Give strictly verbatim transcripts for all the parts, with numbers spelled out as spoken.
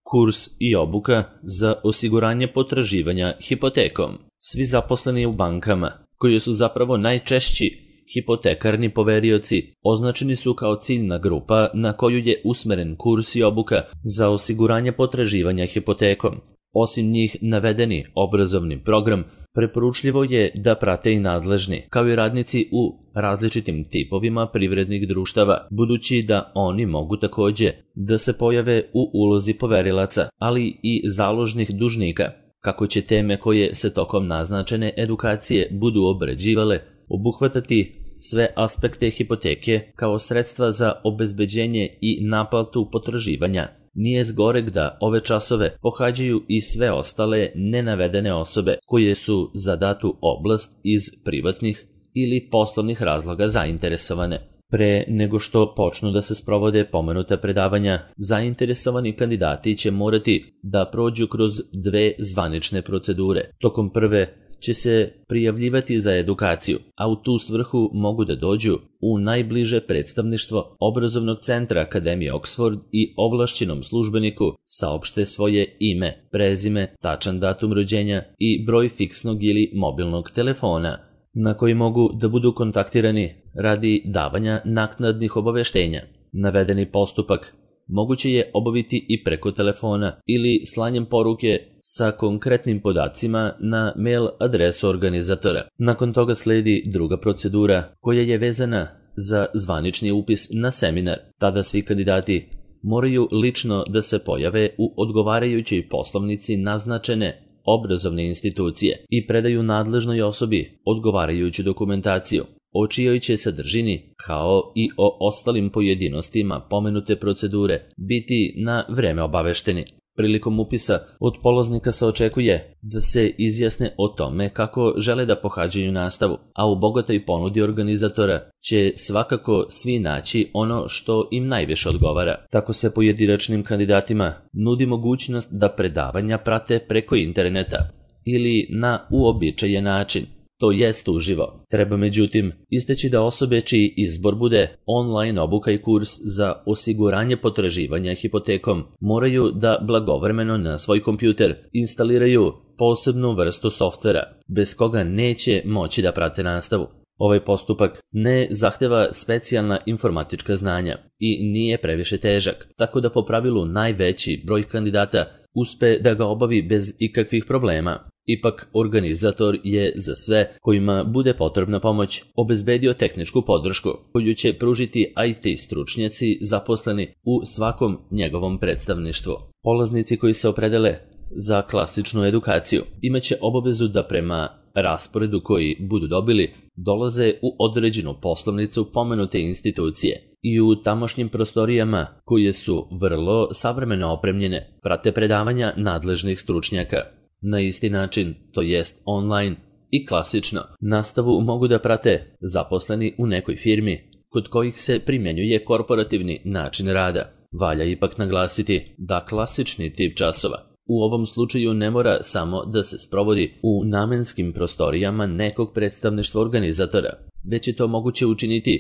kurs i obuka za osiguranje potraživanja hipotekom. Svi zaposleni u bankama, koji su zapravo najčešći hipotekarni poverioci, označeni su kao ciljna grupa na koju je usmeren kurs i obuka za osiguranje potraživanja hipotekom. Osim njih, navedeni obrazovni program preporučljivo je da prate i nadležni, kao i radnici u različitim tipovima privrednih društava, budući da oni mogu takođe da se pojave u ulozi poverilaca, ali i založnih dužnika. Kako će teme koje se tokom naznačene edukacije budu obrađivale obuhvatati sve aspekte hipoteke kao sredstva za obezbeđenje i naplatu potraživanja, nije zgoreg da ove časove pohađaju i sve ostale nenavedene osobe koje su za datu oblast iz privatnih ili poslovnih razloga zainteresovane. Pre nego što počnu da se sprovode pomenuta predavanja, zainteresovani kandidati će morati da prođu kroz dve zvanične procedure. Tokom prve će se prijavljivati za edukaciju, a u tu svrhu mogu da dođu u najbliže predstavništvo obrazovnog centra Akademije Oxford i ovlašćenom službeniku saopšte svoje ime, prezime, tačan datum rođenja i broj fiksnog ili mobilnog telefona na koji mogu da budu kontaktirani radi davanja naknadnih obaveštenja. Navedeni postupak moguće je obaviti i preko telefona ili slanjem poruke sa konkretnim podacima na mail adresu organizatora. Nakon toga sledi druga procedura koja je vezana za zvanični upis na seminar. Tada svi kandidati moraju lično da se pojave u odgovarajućoj poslovnici naznačene obrazovne institucije i predaju nadležnoj osobi odgovarajuću dokumentaciju, o čijoj će sadržini, kao i o ostalim pojedinostima pomenute procedure, biti na vreme obavešteni. Prilikom upisa od polaznika se očekuje da se izjasne o tome kako žele da pohađaju nastavu, a u bogatoj ponudi organizatora će svakako svi naći ono što im najviše odgovara. Tako se pojedinačnim kandidatima nudi mogućnost da predavanja prate preko interneta ili na uobičajen način, to jest uživo. Treba međutim istaći da osobe čiji izbor bude online obuka i kurs za osiguranje potraživanja hipotekom moraju da blagovremeno na svoj kompjuter instaliraju posebnu vrstu softvera, bez koga neće moći da prate nastavu. Ovaj postupak ne zahteva specijalna informatička znanja i nije previše težak, tako da po pravilu najveći broj kandidata uspe da ga obavi bez ikakvih problema. Ipak, organizator je za sve kojima bude potrebna pomoć obezbedio tehničku podršku, koju će pružiti I T stručnjaci zaposleni u svakom njegovom predstavništvu. Polaznici koji se opredele za klasičnu edukaciju imaće obavezu da prema rasporedu koji budu dobili dolaze u određenu poslovnicu pomenute institucije i u tamošnjim prostorijama, koje su vrlo savremeno opremljene, prate predavanja nadležnih stručnjaka. Na isti način, to jest online i klasično, nastavu mogu da prate zaposleni u nekoj firmi kod kojih se primjenjuje korporativni način rada. Valja ipak naglasiti da klasični tip časova u ovom slučaju ne mora samo da se sprovodi u namenskim prostorijama nekog predstavništva organizatora, već je to moguće učiniti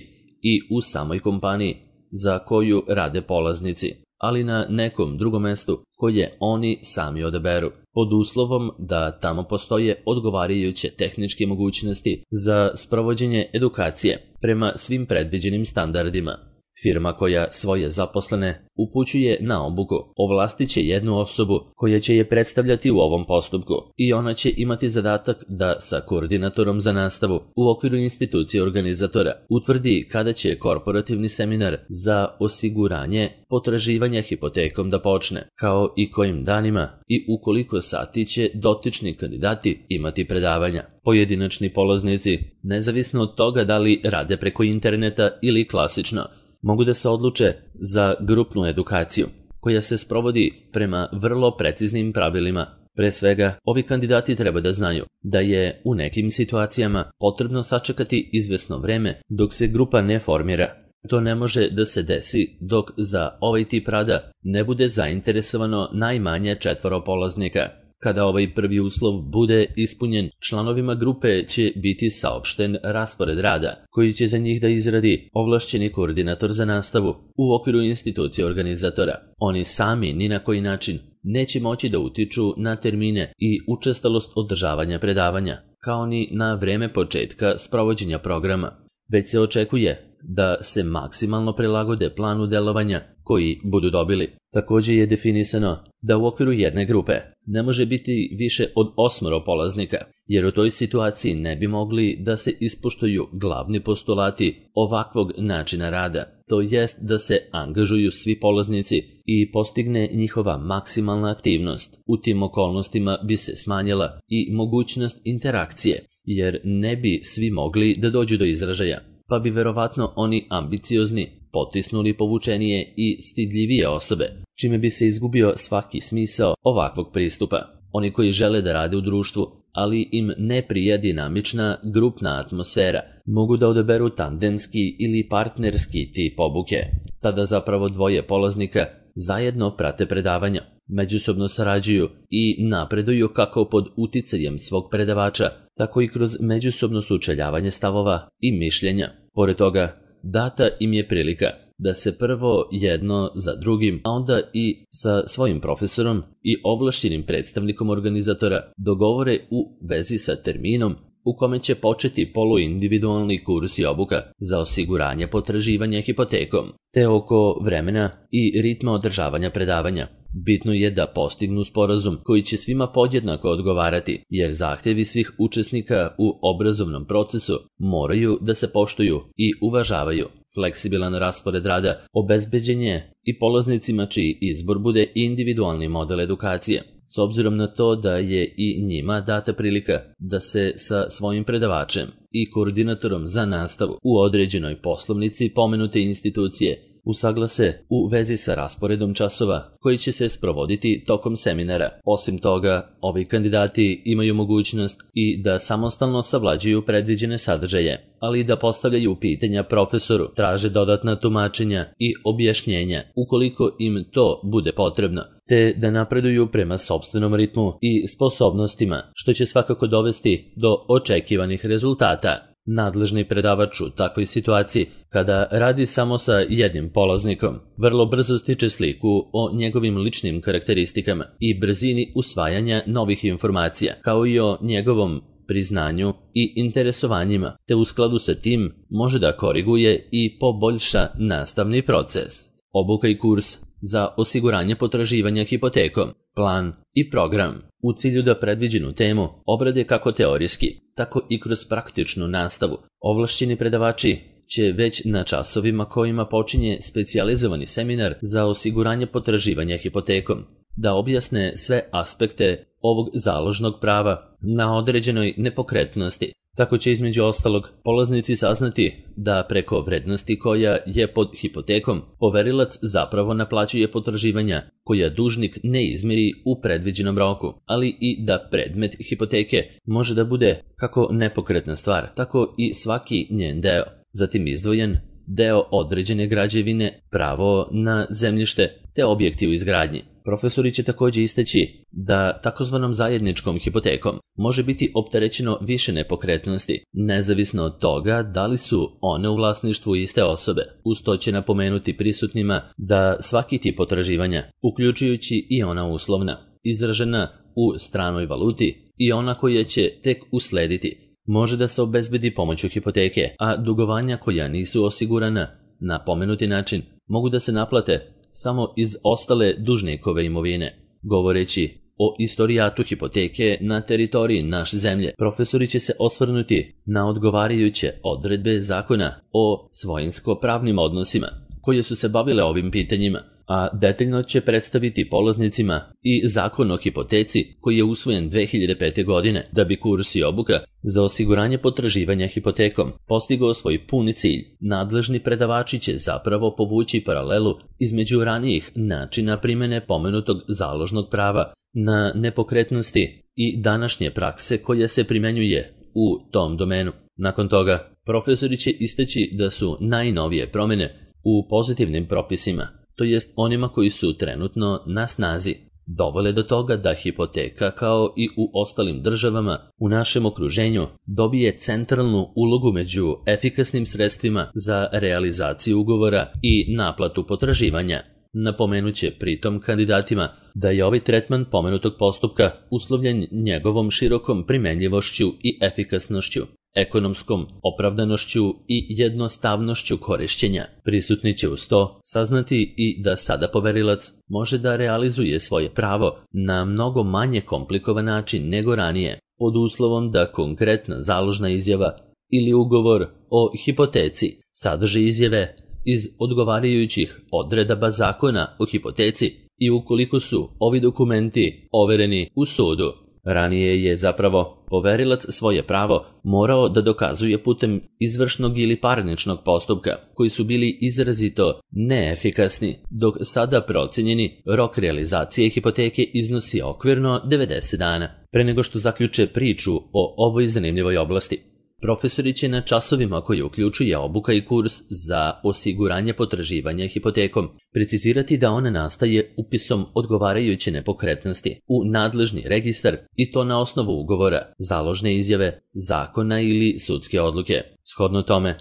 i u samoj kompaniji za koju rade polaznici, ali na nekom drugom mestu koje oni sami odaberu, pod uslovom da tamo postoje odgovarajuće tehničke mogućnosti za sprovođenje edukacije prema svim predviđenim standardima. Firma koja svoje zaposlene upućuje na obuku ovlastit će jednu osobu koja će je predstavljati u ovom postupku i ona će imati zadatak da sa koordinatorom za nastavu u okviru institucije organizatora utvrdi kada će korporativni seminar za osiguranje potraživanja hipotekom da počne, kao i kojim danima i u koliko sati će dotični kandidati imati predavanja. Pojedinačni polaznici, nezavisno od toga da li rade preko interneta ili klasično, mogu da se odluče za grupnu edukaciju, koja se sprovodi prema vrlo preciznim pravilima. Pre svega, ovi kandidati treba da znaju da je u nekim situacijama potrebno sačekati izvesno vreme dok se grupa ne formira. To ne može da se desi dok za ovaj tip rada ne bude zainteresovano najmanje četvoro polaznika. Kada ovaj prvi uslov bude ispunjen, članovima grupe će biti saopšten raspored rada, koji će za njih da izradi ovlašćeni koordinator za nastavu u okviru institucije organizatora. Oni sami ni na koji način neće moći da utiču na termine i učestalost održavanja predavanja, kao ni na vreme početka sprovođenja programa, već se očekuje da se maksimalno prilagode planu delovanja koji budu dobili. Također je definisano da u okviru jedne grupe ne može biti više od osmoro polaznika, jer u toj situaciji ne bi mogli da se ispoštuju glavni postulati ovakvog načina rada, to jest da se angažuju svi polaznici i postigne njihova maksimalna aktivnost. U tim okolnostima bi se smanjila i mogućnost interakcije, jer ne bi svi mogli da dođu do izražaja, pa bi verovatno oni ambiciozni potisnuli povučenije i stidljivije osobe, čime bi se izgubio svaki smisao ovakvog pristupa. Oni koji žele da rade u društvu, ali im ne prija dinamična grupna atmosfera, mogu da odaberu tandemski ili partnerski tip obuke. Tada zapravo dvoje polaznika zajedno prate predavanja, međusobno sarađuju i napreduju kako pod uticajem svog predavača, tako i kroz međusobno sučeljavanje stavova i mišljenja. Pored toga, data im je prilika da se prvo jedno za drugim, a onda i sa svojim profesorom i ovlašćenim predstavnikom organizatora dogovore u vezi sa terminom u kome će početi poluindividualni kurs i obuka za osiguranje potraživanja hipotekom, te oko vremena i ritma održavanja predavanja. Bitno je da postignu sporazum koji će svima podjednako odgovarati, jer zahtjevi svih učesnika u obrazovnom procesu moraju da se poštuju i uvažavaju. Fleksibilan raspored rada obezbeđen je i polaznicima čiji izbor bude individualni model edukacije, s obzirom na to da je i njima data prilika da se sa svojim predavačem i koordinatorom za nastavu u određenoj poslovnici pomenute institucije usaglase u vezi sa rasporedom časova koji će se sprovoditi tokom seminara. Osim toga, ovi kandidati imaju mogućnost i da samostalno savlađuju predviđene sadržaje, ali i da postavljaju pitanja profesoru, traže dodatna tumačenja i objašnjenja ukoliko im to bude potrebno, te da napreduju prema sopstvenom ritmu i sposobnostima, što će svakako dovesti do očekivanih rezultata. Nadležni predavač u takvoj situaciji, kada radi samo sa jednim polaznikom, vrlo brzo stiče sliku o njegovim ličnim karakteristikama i brzini usvajanja novih informacija, kao i o njegovom priznanju i interesovanjima, te u skladu sa tim može da koriguje i poboljša nastavni proces. Obuka i kurs za osiguranje potraživanja hipotekom, plan i program u cilju da predviđenu temu obrade kako teorijski, tako i kroz praktičnu nastavu. Ovlašćeni predavači će već na časovima kojima počinje specijalizovani seminar za osiguranje potraživanja hipotekom da objasne sve aspekte ovog založnog prava na određenoj nepokretnosti. Tako će između ostalog polaznici saznati da preko vrednosti koja je pod hipotekom poverilac zapravo naplaćuje potraživanja koja dužnik ne izmiri u predviđenom roku, ali i da predmet hipoteke može da bude kako nepokretna stvar, tako i svaki njen deo, zatim izdvojen deo određene građevine, pravo na zemljište te objekti u izgradnji. Profesori će također istaći da takozvanom zajedničkom hipotekom može biti opterećeno više nepokretnosti, nezavisno od toga da li su one u vlasništvu iste osobe. Uz to će napomenuti prisutnima da svaki tip potraživanja, uključujući i ona uslovna, izražena u stranoj valuti i ona koja će tek uslediti, može da se obezbedi pomoću hipoteke, a dugovanja koja nisu osigurana na pomenuti način mogu da se naplate samo iz ostale dužnikove imovine. Govoreći o istorijatu hipoteke na teritoriji naše zemlje, profesori će se osvrnuti na odgovarajuće odredbe zakona o svojinsko-pravnim odnosima koje su se bavile ovim pitanjima, a detaljno će predstaviti polaznicima i zakon o hipoteci koji je usvojen dve hiljade pete. godine, da bi kurs i obuka za osiguranje potraživanja hipotekom postigao svoj puni cilj. Nadležni predavači će zapravo povući paralelu između ranijih načina primjene pomenutog založnog prava na nepokretnosti i današnje prakse koja se primjenjuje u tom domenu. Nakon toga, profesori će istaći da su najnovije promjene u pozitivnim propisima, to jest onima koji su trenutno na snazi, dovele do toga da hipoteka, kao i u ostalim državama u našem okruženju, dobije centralnu ulogu među efikasnim sredstvima za realizaciju ugovora i naplatu potraživanja. Napomenuće pritom kandidatima da je ovaj tretman pomenutog postupka uslovljen njegovom širokom primenljivošću i efikasnošću, ekonomskom opravdanošću i jednostavnošću korišćenja. Prisutni će uz to saznati i da sada poverilac može da realizuje svoje pravo na mnogo manje komplikovan način nego ranije, pod uslovom da konkretna založna izjava ili ugovor o hipoteci sadrži izjave iz odgovarajućih odredaba zakona o hipoteci i ukoliko su ovi dokumenti overeni u sudu. Ranije je zapravo poverilac svoje pravo morao da dokazuje putem izvršnog ili parničnog postupka, koji su bili izrazito neefikasni, dok sada procenjeni rok realizacije hipoteke iznosi okvirno devedeset dana. Pre nego što zaključe priču o ovoj zanimljivoj oblasti, profesori će na časovima koji uključuje obuka i kurs za osiguranje potraživanja hipotekom precizirati da ona nastaje upisom odgovarajuće nepokretnosti u nadležni registar i to na osnovu ugovora, založne izjave, zakona ili sudske odluke. Shodno tome,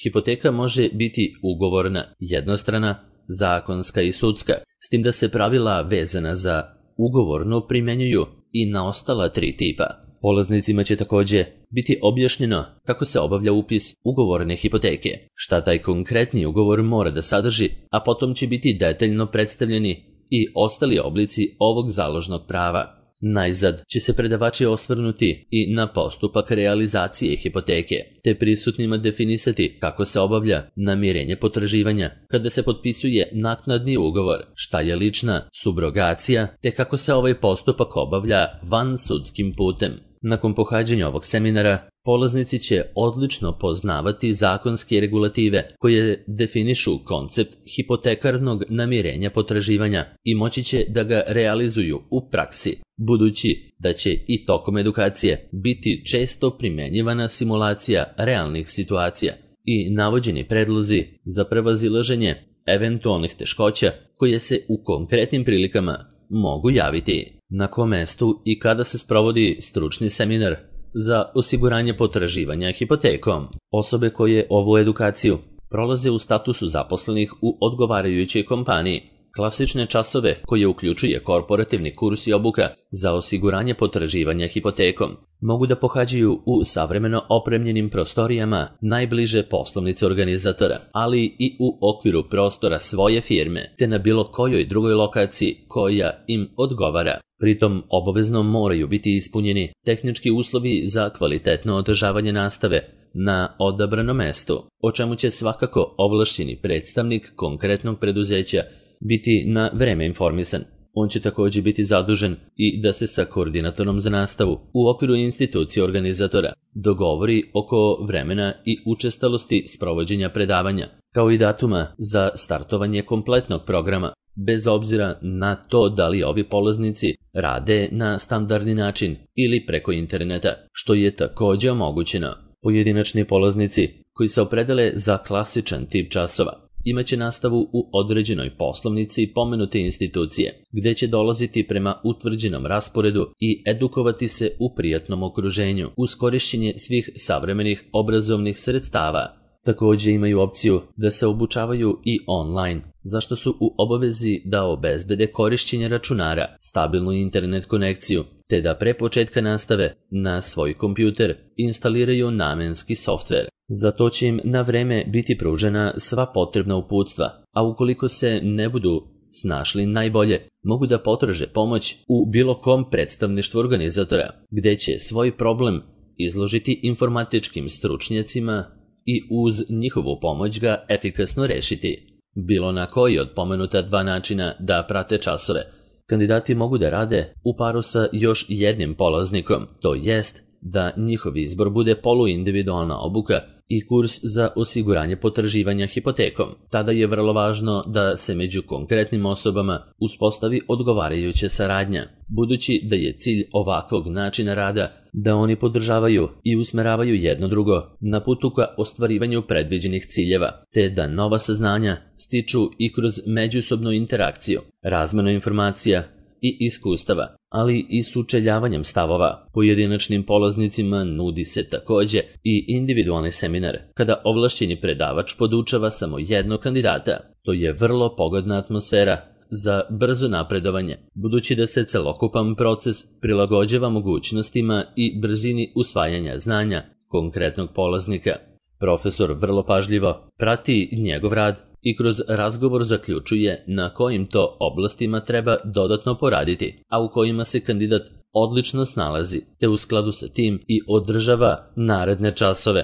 hipoteka može biti ugovorna, jednostrana, zakonska i sudska, s tim da se pravila vezana za ugovorno primenjuju i na ostala tri tipa. Polaznicima će također biti objašnjeno kako se obavlja upis ugovorne hipoteke, šta taj konkretni ugovor mora da sadrži, a potom će biti detaljno predstavljeni i ostali oblici ovog založnog prava. Najzad će se predavači osvrnuti i na postupak realizacije hipoteke, te prisutnima definisati kako se obavlja namirenje potraživanja, kada se potpisuje naknadni ugovor, šta je lična subrogacija, te kako se ovaj postupak obavlja van sudskim putem. Nakon pohađanja ovog seminara, polaznici će odlično poznavati zakonske regulative koje definišu koncept hipotekarnog namirenja potraživanja i moći će da ga realizuju u praksi, budući da će i tokom edukacije biti često primenjivana simulacija realnih situacija i navođeni predlozi za prevazilaženje eventualnih teškoća koje se u konkretnim prilikama mogu javiti. Na kom mestu i kada se sprovodi stručni seminar za osiguranje potraživanja hipotekom? Osobe koje ovu edukaciju prolaze u statusu zaposlenih u odgovarajućoj kompaniji. Klasične časove koje uključuje korporativni kurs i obuka za osiguranje potraživanja hipotekom mogu da pohađaju u savremeno opremljenim prostorijama najbliže poslovnice organizatora, ali i u okviru prostora svoje firme, te na bilo kojoj drugoj lokaciji koja im odgovara. Pritom obavezno moraju biti ispunjeni tehnički uslovi za kvalitetno održavanje nastave na odabrano mestu, o čemu će svakako ovlašćeni predstavnik konkretnog preduzeća biti na vreme informisan. On će također biti zadužen i da se sa koordinatorom za nastavu u okviru institucije organizatora dogovori oko vremena i učestalosti sprovođenja predavanja, kao i datuma za startovanje kompletnog programa, bez obzira na to da li ovi polaznici rade na standardni način ili preko interneta, što je također omogućeno. Pojedinačni polaznici koji se opredele za klasičan tip časova imaće nastavu u određenoj poslovnici pomenute institucije, gdje će dolaziti prema utvrđenom rasporedu i edukovati se u prijatnom okruženju uz korišćenje svih savremenih obrazovnih sredstava. Također imaju opciju da se obučavaju i online, zašto su u obavezi da obezbede korišćenje računara, stabilnu internet konekciju, te da pre početka nastave na svoj kompjuter instaliraju namenski softver. Za to će im na vreme biti pružena sva potrebna uputstva, a ukoliko se ne budu snašli najbolje, mogu da potraže pomoć u bilo kom predstavništvu organizatora, gdje će svoj problem izložiti informatičkim stručnjacima i uz njihovu pomoć ga efikasno rešiti. Bilo na koji od pomenuta dva načina da prate časove, kandidati mogu da rade u paru sa još jednim polaznikom, to jest da njihov izbor bude poluindividualna obuka i kurs za osiguranje potraživanja hipotekom. Tada je vrlo važno da se među konkretnim osobama uspostavi odgovarajuća saradnja, budući da je cilj ovakvog načina rada da oni podržavaju i usmeravaju jedno drugo na putu ka ostvarivanju predviđenih ciljeva, te da nova saznanja stiču i kroz međusobnu interakciju, razmenu informacija i iskustava, ali i sučeljavanjem stavova. Pojedinačnim polaznicima nudi se takođe i individualni seminar, kada ovlašćeni predavač podučava samo jednog kandidata. To je vrlo pogodna atmosfera za brzo napredovanje, budući da se celokupan proces prilagođava mogućnostima i brzini usvajanja znanja konkretnog polaznika. Profesor vrlo pažljivo prati njegov rad i kroz razgovor zaključuje na kojim to oblastima treba dodatno poraditi, a u kojima se kandidat odlično snalazi, te u skladu sa tim i održava naredne časove.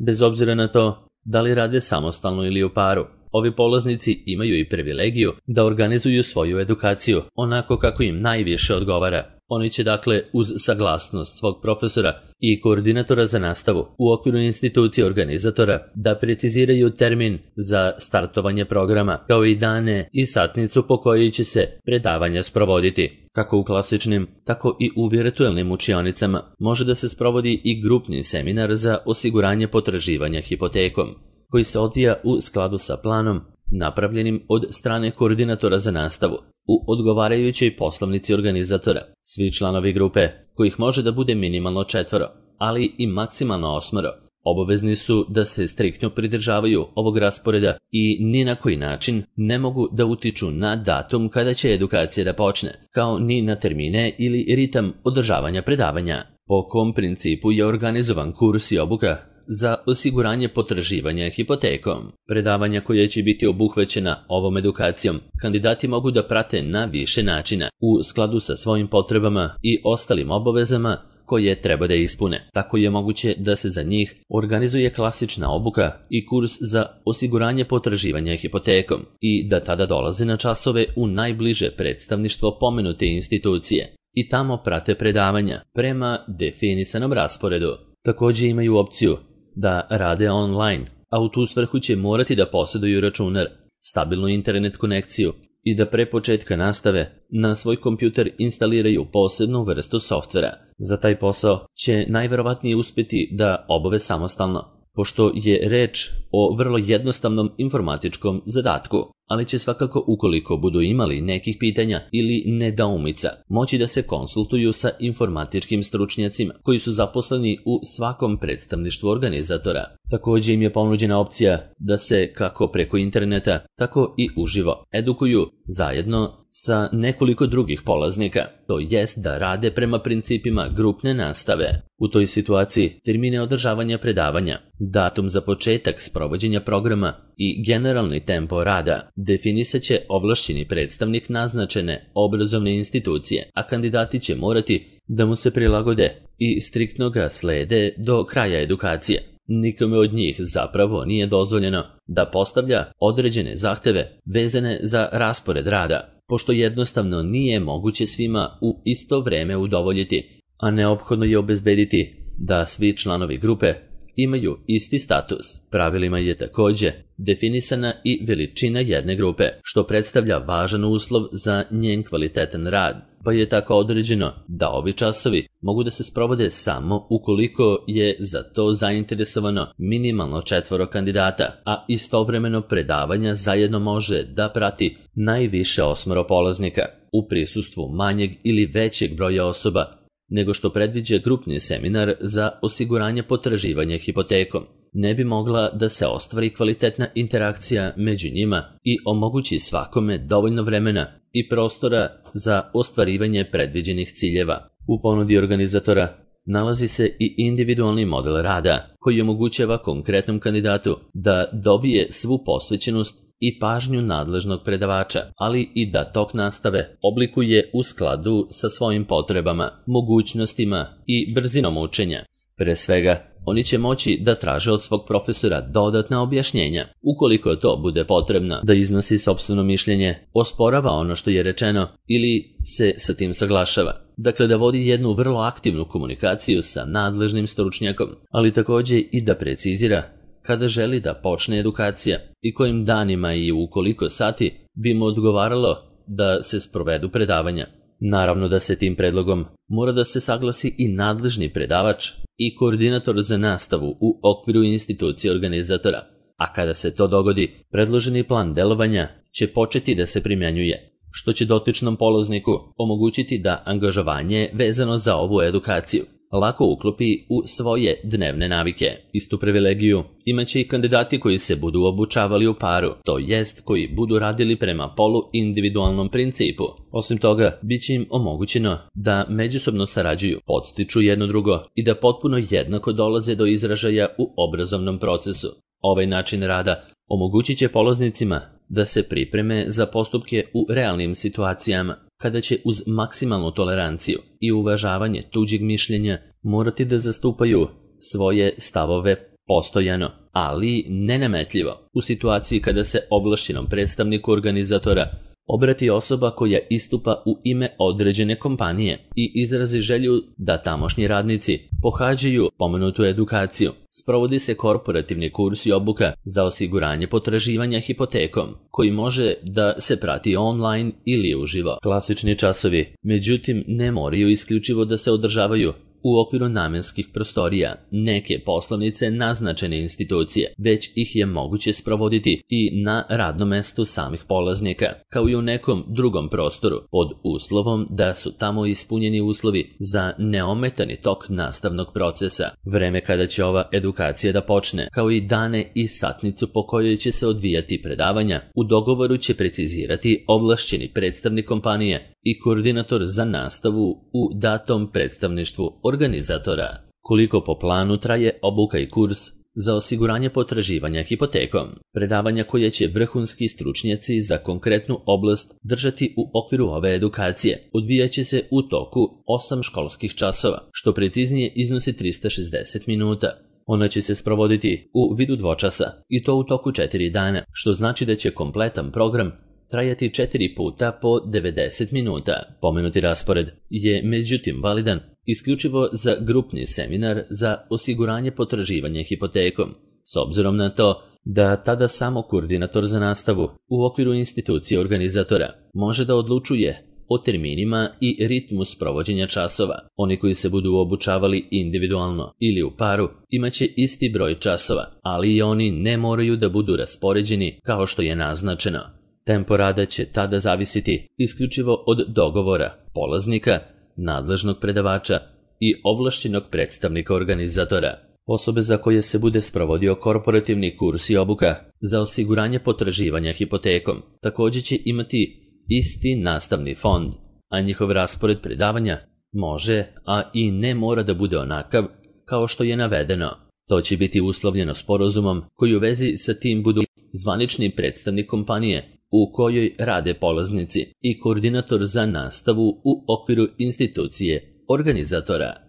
Bez obzira na to da li rade samostalno ili u paru, ovi polaznici imaju i privilegiju da organizuju svoju edukaciju onako kako im najviše odgovara. Oni će dakle uz saglasnost svog profesora i koordinatora za nastavu u okviru institucije organizatora da preciziraju termin za startovanje programa, kao i dane i satnicu po kojoj će se predavanja sprovoditi. Kako u klasičnim, tako i u virtuelnim učionicama može da se sprovodi i grupni seminar za osiguranje potraživanja hipotekom, koji se odvija u skladu sa planom napravljenim od strane koordinatora za nastavu u odgovarajućoj poslovnici organizatora. Svi članovi grupe, kojih može da bude minimalno četvoro, ali i maksimalno osmoro, obavezni su da se striktno pridržavaju ovog rasporeda i ni na koji način ne mogu da utiču na datum kada će edukacija da počne, kao ni na termine ili ritam održavanja predavanja. Po kom principu je organizovan kurs i obuka za osiguranje potraživanja hipotekom. Predavanja koja će biti obuhvaćena ovom edukacijom kandidati mogu da prate na više načina u skladu sa svojim potrebama i ostalim obavezama koje treba da ispune. Tako je moguće da se za njih organizuje klasična obuka i kurs za osiguranje potraživanja hipotekom i da tada dolaze na časove u najbliže predstavništvo pomenute institucije i tamo prate predavanja prema definisanom rasporedu. Takođe imaju opciju da rade online, a u tu svrhu će morati da posjeduju računar, stabilnu internet konekciju i da pre početka nastave na svoj kompjuter instaliraju posebnu vrstu softvera. Za taj posao će najverovatnije uspeti da obave samostalno, pošto je reč o vrlo jednostavnom informatičkom zadatku, ali će svakako, ukoliko budu imali nekih pitanja ili nedoumica, moći da se konsultuju sa informatičkim stručnjacima koji su zaposleni u svakom predstavništvu organizatora. Takođe im je ponuđena opcija da se kako preko interneta, tako i uživo edukuju zajedno sa nekoliko drugih polaznika, to jest da rade prema principima grupne nastave. U toj situaciji termine održavanja predavanja, datum za početak sprovođenja programa i generalni tempo rada definisaće ovlašćeni predstavnik naznačene obrazovne institucije, a kandidati će morati da mu se prilagode i striktno ga slede do kraja edukacije. Nikome od njih zapravo nije dozvoljeno da postavlja određene zahteve vezane za raspored rada, pošto jednostavno nije moguće svima u isto vreme udovoljiti, a neophodno je obezbediti da svi članovi grupe imaju isti status. Pravilima je takođe definisana i veličina jedne grupe, što predstavlja važan uslov za njen kvalitetan rad, pa je tako određeno da ovi časovi mogu da se sprovode samo ukoliko je za to zainteresovano minimalno četvoro kandidata, a istovremeno predavanja zajedno može da prati najviše osmoro polaznika u prisustvu manjeg ili većeg broja osoba nego što predviđa grupni seminar za osiguranje potraživanja hipotekom. Ne bi mogla da se ostvari kvalitetna interakcija među njima i omogući svakome dovoljno vremena i prostora za ostvarivanje predviđenih ciljeva. U ponudi organizatora nalazi se i individualni model rada koji omogućava konkretnom kandidatu da dobije svu posvećenost i pažnju nadležnog predavača, ali i da tok nastave oblikuje u skladu sa svojim potrebama, mogućnostima i brzinom učenja. Pre svega, oni će moći da traže od svog profesora dodatna objašnjenja, ukoliko to bude potrebno, da iznosi sopstveno mišljenje, osporava ono što je rečeno ili se sa tim saglašava. Dakle, da vodi jednu vrlo aktivnu komunikaciju sa nadležnim stručnjakom, ali takođe i da precizira kada želi da počne edukacija i kojim danima i u koliko sati bi mu odgovaralo da se sprovedu predavanja. Naravno da se tim predlogom mora da se saglasi i nadležni predavač i koordinator za nastavu u okviru institucije organizatora, a kada se to dogodi, predloženi plan delovanja će početi da se primjenjuje. što će dotičnom polazniku omogućiti da angažovanje vezano za ovu edukaciju lako uklopi u svoje dnevne navike. Istu privilegiju imaće i kandidati koji se budu obučavali u paru, to jest koji budu radili prema polu-individualnom principu. Osim toga, bit će im omogućeno da međusobno sarađuju, podstiču jedno drugo i da potpuno jednako dolaze do izražaja u obrazovnom procesu. Ovaj način rada omogućit će polaznicima da se pripreme za postupke u realnim situacijama, kada će uz maksimalnu toleranciju i uvažavanje tuđeg mišljenja morati da zastupaju svoje stavove postojano, ali nenametljivo, u situaciji kada se ovlašćenom predstavniku organizatora obrati osoba koja istupa u ime određene kompanije i izrazi želju da tamošnji radnici pohađaju pomenutu edukaciju. Sprovodi se korporativni kurs i obuka za osiguranje potraživanja hipotekom, koji može da se prati online ili uživo. Klasični časovi, međutim, ne moraju isključivo da se održavaju u okviru namenskih prostorija neke poslovnice naznačene institucije, već ih je moguće sprovoditi i na radnom mestu samih polaznika, kao i u nekom drugom prostoru, pod uslovom da su tamo ispunjeni uslovi za neometani tok nastavnog procesa. Vreme kada će ova edukacija da počne, kao i dane i satnicu po kojoj će se odvijati predavanja, u dogovoru će precizirati ovlašćeni predstavnik kompanije i koordinator za nastavu u datom predstavništvu organizatora. Koliko po planu traje obuka i kurs za osiguranje potraživanja hipotekom? Predavanja koje će vrhunski stručnjaci za konkretnu oblast držati u okviru ove edukacije odvijaće se u toku osam školskih časova, što preciznije iznosi trista šezdeset minuta. Ona će se sprovoditi u vidu dvočasa i to u toku četiri dana, što znači da će kompletan program trajati četiri puta po devedeset minuta. Pomenuti raspored je međutim validan isključivo za grupni seminar za osiguranje potraživanja hipotekom, s obzirom na to da tada samo koordinator za nastavu u okviru institucije organizatora može da odlučuje o terminima i ritmu sprovođenja časova. Oni koji se budu obučavali individualno ili u paru imaće isti broj časova, ali i oni ne moraju da budu raspoređeni kao što je naznačeno. Tempo rada će tada zavisiti isključivo od dogovora polaznika, nadležnog predavača i ovlašćenog predstavnika organizatora. Osobe za koje se bude sprovodio korporativni kurs i obuka za osiguranje potraživanja hipotekom također će imati isti nastavni fond, a njihov raspored predavanja može, a i ne mora da bude onakav kao što je navedeno. To će biti uslovljeno sporazumom koji u vezi sa tim budu zvanični predstavnik kompanije u kojoj rade polaznici i koordinator za nastavu u okviru institucije organizatora.